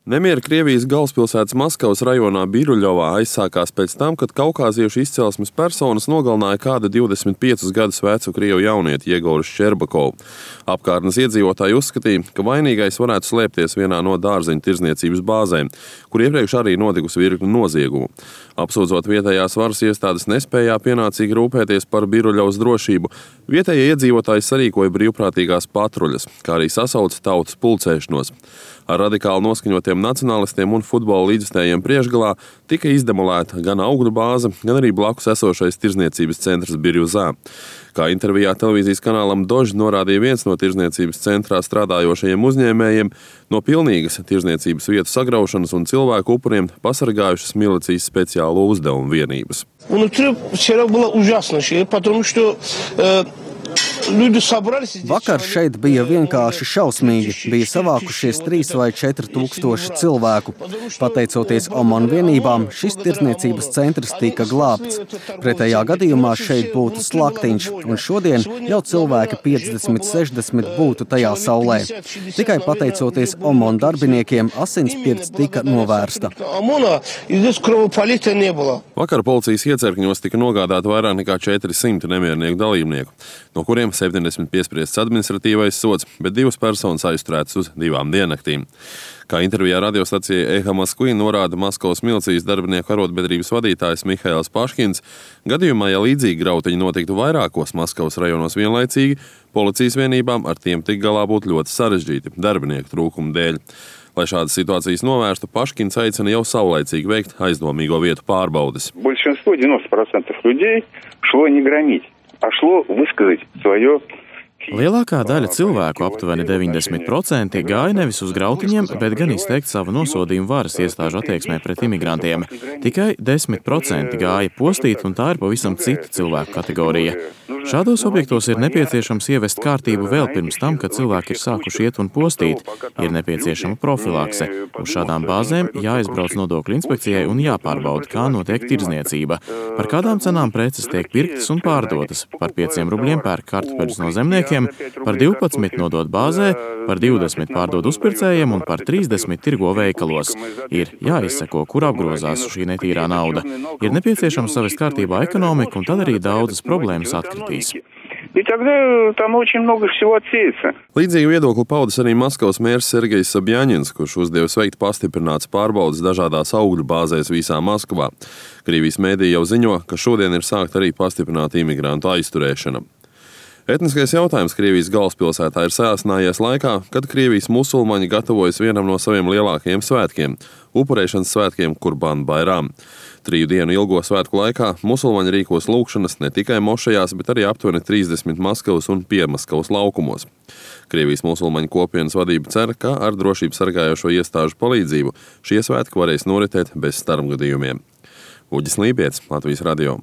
Nemieri Krievijas galvaspilsētas Maskavas rajonā Biruļovā aizsākās pēc tam, kad kaukāziešu izcelsmes personas nogalināja kādu 25 gadus vecu krievu jaunieti Jegoru Ščerbakovu. Apkārtnes iedzīvotāji uzskatīja, ka vainīgais varētu slēpties vienā no dārzeņu tirdzniecības bāzēm, kur iepriekš arī notikusi virkne noziegumu. Apsūdzot vietējās varas iestādes nespējā pienācīgi rūpēties par Biruļovas drošību, vietējie iedzīvotāji sarīkoja brīvprātīgās patruļas, kā arī sasauca tautas pulcēšanos. Ar radikāli noskaņotiem nacionālistiem un futbola līdzstājiem priekšgalā tika izdemolēta gan augļu bāze, gan arī blakus esošais tirdzniecības centrs Birjuzā. Kā intervijā televīzijas kanālam Dožd norādīja viens no tirdzniecības centrā strādājošajiem uzņēmējiem, no pilnīgas tirdzniecības vietu sagraušanas un cilvēku upuriem pasargājušas milicijas speciālo uzdevumu vienības. Vakar šeit bija vienkārši šausmīgi. Bija savākušies 3 vai 4 tūkstoši cilvēku. Pateicoties OMON vienībām, šis tirdzniecības centrs tika glābts. Pretējā gadījumā šeit būtu slaktiņš, un šodien jau cilvēki 50-60 būtu tajā saulē. Tikai pateicoties OMON darbiniekiem, asinspirts tika novērsta. Vakar policijas iecirkņos tika nogādāti vairāk nekā 400 nemiernieku dalībnieku, no kuriem 70 piespriests administratīvais sods, bet 2 personas aizturētas uz 2 diennaktīm. Kā intervijā radiostacijai Eha Moskva norāda Maskavas milicijas darbinieku arotbiedrības vadītājs Mihails Paškins, gadījumā, ja līdzīgi grautiņi notiktu vairākos Maskavas rajonos vienlaicīgi, policijas vienībām ar tiem tik galā būtu ļoti sarežģīti darbinieku trūkuma dēļ. Lai šādas situācijas novērstu, Paškins aicina jau saulaicīgi veikt aizdomīgo vietu pārbaudes. Большинство 90% людей шло не громить, а шло высказать свое. Lielākā daļa cilvēku, aptuveni 90%, gāja nevis uz grautiņiem, bet gan izteikt savu nosodījumu varas iestāžu attieksmē pret imigrantiem. Tikai 10% gāja postīt, un tā ir pavisam cita cilvēku kategorija. Šādos objektos ir nepieciešams ievest kārtību vēl pirms tam, kad cilvēki ir sākuši iet un postīt. Ir nepieciešama profilakse. Uz šādām bāzēm jāizbrauc nodokļu inspekcijai un jāpārbauda, kā notiek tirdzniecība. Par kādām cenām preces tiek pirktas un pārdotas. Par 5 rubļiem pērk kartupeļus no zemniekiem, par 12 nodot bāzē, par 20 pārdod uzpircējiem un par 30 tirgo veikalos. Ir jāizseko, kur apgrozās šī netīrā nauda. Ir nepieciešams savest kārtībā ekonomiku, un tad arī daudzas problēmas atkritīs. Līdzīgu viedokli paudis arī Maskavas mērs Sergejs Sabjaņins, kurš uzdevis veikt pastiprinātas pārbaudes dažādās augļu bāzēs visā Maskavā. Krievijas mēdī jau ziņo, ka šodien ir sākta arī pastiprināta imigrantu aizturēšana. Etniskais jautājums Krievijas galvaspilsētā ir sāsinājies laikā, kad Krievijas musulmaņi gatavojas vienam no saviem lielākajiem svētkiem – upurēšanas svētkiem Kurban Bairam. 3 dienu ilgo svētku laikā musulmaņi rīkos lūgšanas ne tikai mošajās, bet arī aptuveni 30 Maskavas un Piemaskavas laukumos. Krievijas musulmaņu kopienas vadība cer, ka ar drošību sargājošo iestāžu palīdzību šie svētki varēs noritēt bez starpgadījumiem. Uģis Lībietis, Latvijas radio.